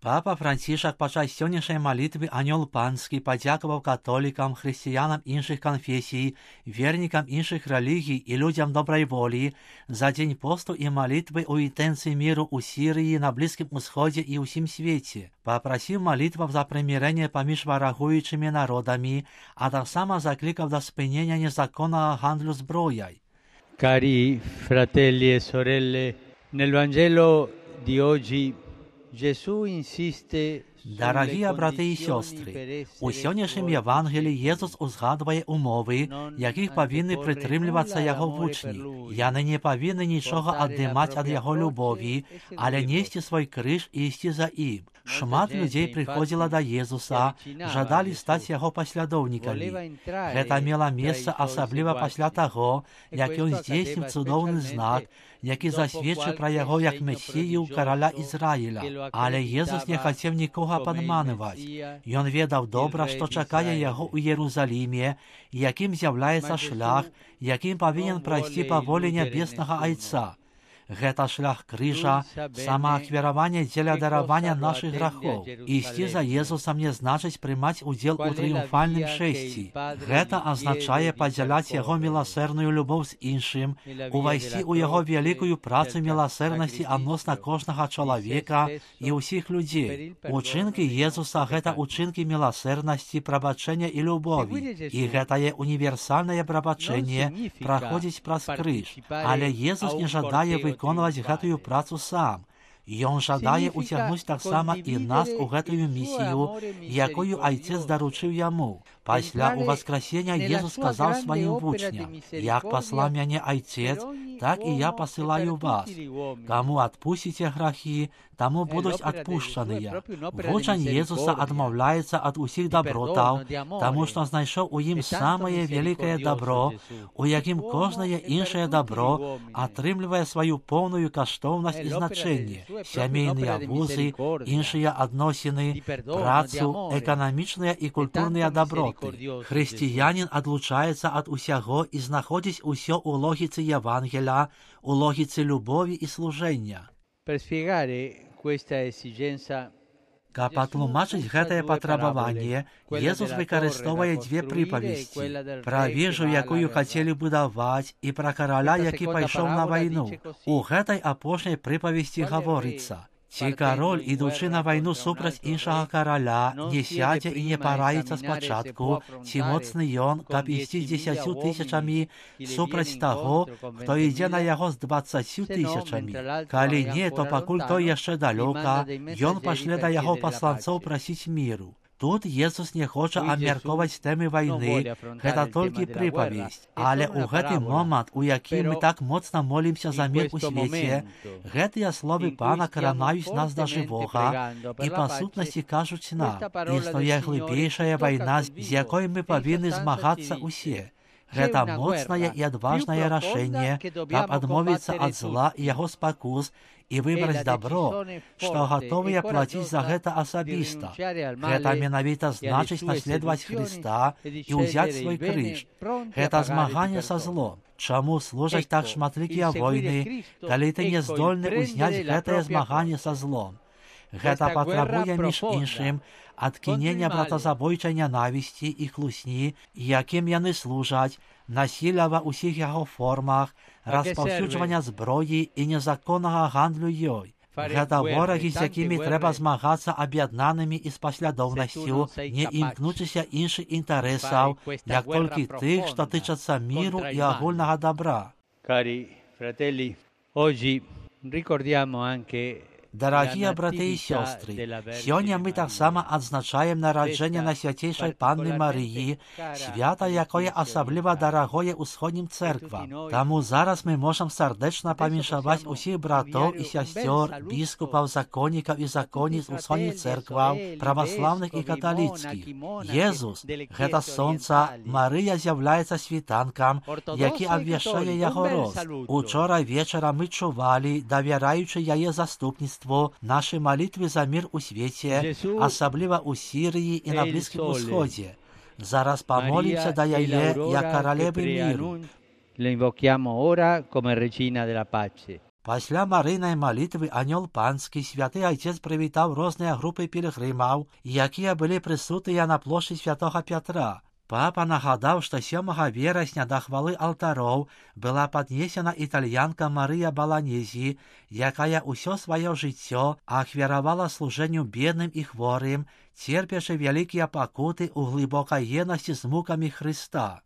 Папа Францішак падчас сённяшняй малітвы Анёл Панскі падзякаваў католікам, хрысціянам іншых канфесій, вернікам іншых рэлігій і людзям добрай волі за дзень посту і малітвы ў інтэнцыі міру ў Сірыі, на Блізкім Усходзе і ўсім свеце. Папрасіў малітваў за прымірэнне паміж варагуючымі народамі, а таксама заклікаў да спынення незаконнага гандлю зброяй. Cari fratelli e sorelle, nel Vangelo di oggi Gesù insiste. Дарагія брати і сёстры, у сённяшнім Євангелі Єсус узгадвае умовы, якіх павінны прытрымлівацца яго вучні. Яны не павінны нічога аддымаць ад яго любові, але несці свой крыж і ісці за ім. Шмат людзей прыходзіла да Езуса, жадалі стаць яго паслядоўнікамі. Гэта мела месца асабліва пасля таго, як ён здзейсніў цудоўны знак, які засведчыў пра яго як Месію, караля Ізраіля. Але Езус не хацеў нікога падманываць. Ён ведаў добра, што чакае яго ў Єрусаліме, якім з'яўляецца шлях, якім павінен прайсці па волі нябеснага Айца. Гэта шлях крыжа, самаахвяравання дзеля даравання нашых грахоў. Ісці за Езусам не значыць прымаць удзел у трыумфальным шэсці. Гэта азначае падзяляць яго міласэрную любоў з іншым, увайсці ў яго вялікую працу міласэрнасці адносна кожнага чалавека і ўсіх людзей. Учынкі Езуса — гэта учынкі міласэрнасці, прабачэння і любові. І гэтае універсальнае прабачэнне праходзіць праз крыж. Але Езус не жадае выконваць гэтую працу сам. Ён жадае уцягнуць таксама і нас у гэтую місію, якую Айцец даручыў яму. Пасля ўваскрасення Езус сказаў сваім вучням: «Як паслаў мяне Айцец, так і я пасылаю вас. Каму адпусціце грахі, таму будуць адпушчаныя». Вучань Езуса адмаўляецца ад усіх дабротаў, таму што знайшоў у ім самае вялікае дабро, у якім кожнае іншае дабро атрымлівае сваю поўную каштоўнасць і значэнне. Сямейныя вузы, іншыя адносіны, працу, эканамічныя і культурныя даброты. Хрысціянін адлучаецца ад усяго і знаходзіць усё ў логіцы Євангеля, у логіцы любові і служэння. Каб патлумачыць гэтае патрабаванне, Езус выкарыстоўвае дзве прыпавесці: пра вежу, якую хацелі будаваць, і пра караля, які пайшоў на вайну. У гэтай апошняй прыпавесці гаворыцца: ці кароль, ідучы на вайну супраць іншага караля, не сядзе і не параіцца спачатку, ці моцны ён, каб ісці з 10 000 супраць таго, хто ідзе на яго з 20 000. Калі не, то пакуль той яшчэ далёка, ён пашле да яго пасланцоў прасіць міру. Тут Езус не хоча абмяркоўваць тэмы вайны, гэта толькі прыпавесць. Але ў гэты момант, у якім мы так моцна молімся за мір у свеце, гэтыя словы Пана каранаюць нас да жывога і па сутнасці кажуць нам: існуе глыбейшая вайна, з якой мы павінны змагацца ўсе. Гэта моцнае і адважнае рашэнне, каб адмовіцца ад зла і яго спакус і выбраць дабро, што гатовыя плаціць за гэта асабіста. Гэта менавіта значыць наследаваць Хрыста і ўзяць свой крыж. Гэта змаганне са злом. Чаму служаць так шматлікія войны, калі ты не здольны ўзняць гэтае змаганне са злом? Гэта патрабуе, між іншым, адкінення братазабойчай нянавісці і хлусні, якім яны служаць, насілля ва ўсіх яго формах, распаўсюджвання зброі і незаконнага гандлю ёй. Гэта ворагі, з якімі трэба змагацца аб'яднанымі і з паслядоўнасцю, не імкнучыся іншых інтарэсаў, як толькі тых, што тычацца міру і агульнага дабра. Cari fratelli, oggi ricordiamo anche. Дарагія браты і сёстры, сёння мы таксама адзначаем нараджэнне Найсвяцейшай Панны Марыі, свята, якое асабліва дарагое ўсходнім цэрквам. Таму зараз мы можам сардэчна павіншаваць усіх братоў і сясцёр, біскупаў, законнікаў і законніц усходніх цэркваў, праваслаўных і каталіцкіх. Езус — гэта сонца, Марыя з'яўляецца світанкам, які абвяшчае яго рост. Учора вечара мы чувалі, давяраючы яе заступніцтву, нашы малітвы за мір у свеце, асабліва ў Сірыі і на Блізкім Усходзе. Зараз памолімся да яе як каралевы міру. La invochiamo ora come regina della pace. Пасля Марыйнай малітвы анёл панскі святы айцец прывітаў розныя групы пілігрымаў, якія былі прысутныя на плошчы святога Пятра. Папа нагадаў, што 7 верасня да хвалы алтароў была паднесена італьянка Марыя Баланезі, якая ўсё сваё жыццё ахвяравала служэнню бедным і хворым, церпячы вялікія пакуты ў глыбокай еднасці з мукамі Хрыста.